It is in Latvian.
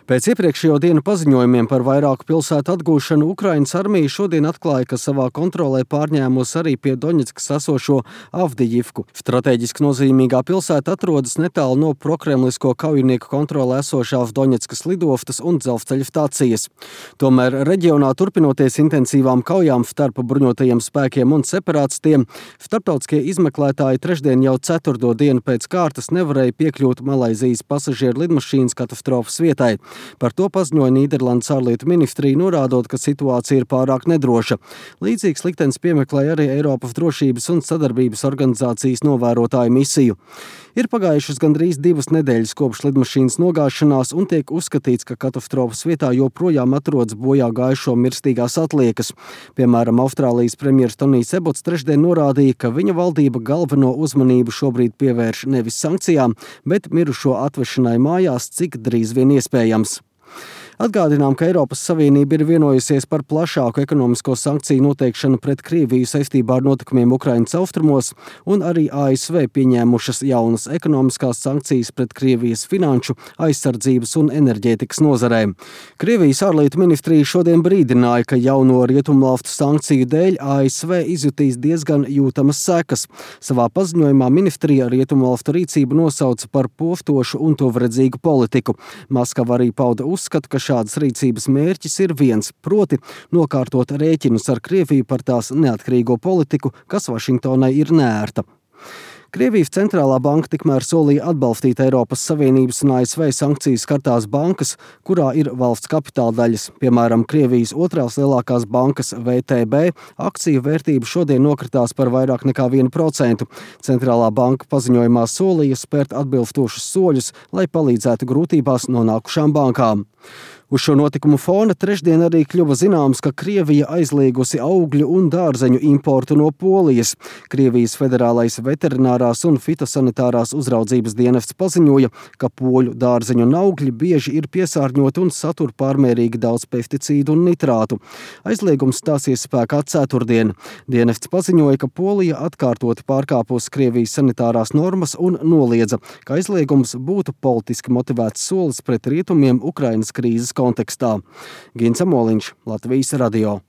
Pēc iepriekšējo dienu paziņojumiem par vairāku pilsētu atgūšanu Ukrainas armija šodien atklāja, ka savā kontrolē pārņēmusi arī pie Doņetskas esošo Avdijivku. Stratēģiski nozīmīgā pilsēta atrodas netālu no prokremlisko kaujinieku kontrolē esošās Doņetskas lidostas un dzelzceļa stācijas. Tomēr reģionā turpinoties intensīvām kaujām starp bruņotajiem spēkiem un separātistiem, starptautiskie izmeklētāji trešdien jau 4. dienu pēc kārtas nevarēja piekļūt Malaizijas pasažieru lidmašīnas katastrofas vietai. Par to paziņoja Nīderlandes ārlietu ministrija, norādot, ka situācija ir pārāk nedroša. Līdzīgs liktenis piemeklēja arī Eiropas drošības un sadarbības organizācijas novērotāju misiju. Ir pagājušas gandrīz 2 nedēļas kopš lidmašīnas nogāšanās un tiek uzskatīts, ka katastrofas vietā joprojām atrodas bojā gājušo mirstīgās atliekas. Piemēram, Austrālijas premjers Tonijs Ebots trešdien norādīja, ka viņa valdība galveno uzmanību šobrīd pievērš nevis sankcijām, bet mirušo atvešanai mājās, cik drīz vien iespējams. Atgādinām, ka Eiropas Savienība ir vienojusies par plašāku ekonomisko sankciju noteikšanu pret Krieviju saistībā ar notikumiem Ukrainas austrumos, un arī ASV pieņēmušas jaunas ekonomiskās sankcijas pret Krievijas finanšu, aizsardzības un enerģētikas nozarēm. Krievijas ārlietu ministrija šodien brīdināja, ka jauno rietumvalstu sankciju dēļ ASV izjutīs diezgan jūtamas sekas. Savā paziņojumā ministrija rietumvalstu rīcību nosauca par postošu un tuvredzīgu politiku. Maskava arī pauda uzskatu, ka šādas rīcības mērķis ir viens, proti nokārtot rēķinus ar Krieviju par tās neatkarīgo politiku, kas Vašingtonai ir neērta. Krievijas centrālā banka tikmēr solīja atbalstīt Eiropas Savienības un ASV sankcijas skartās bankas, kurā ir valsts kapitāla daļas. Piemēram, Krievijas otrās lielākās bankas VTB akciju vērtība šodien nokritās par vairāk nekā 1%. Centrālā banka paziņojumā solīja spērt atbilstošus soļus, lai palīdzētu grūtībās nonākušām bankām. Uz šo notikumu fona trešdien arī kļuva zināms, ka Krievija aizliegusi augļu un dārzeņu importu no Polijas. Krievijas federālais veterinārās un fitosanitārās uzraudzības dienests paziņoja, ka poļu dārzeņu un augļi bieži ir piesārņoti un satur pārmērīgi daudz pesticīdu un nitrātu. Aizliegums stāsies spēkā ceturtdien. Dienests paziņoja, ka Polija atkārtoti pārkāpusi Krievijas sanitārās normas un noliedza, ka aizliegums būtu politiski motivēts solis pret rietumiem Ukrainas krīzes kontekstā. Gins Amoliņš, Latvijas radio.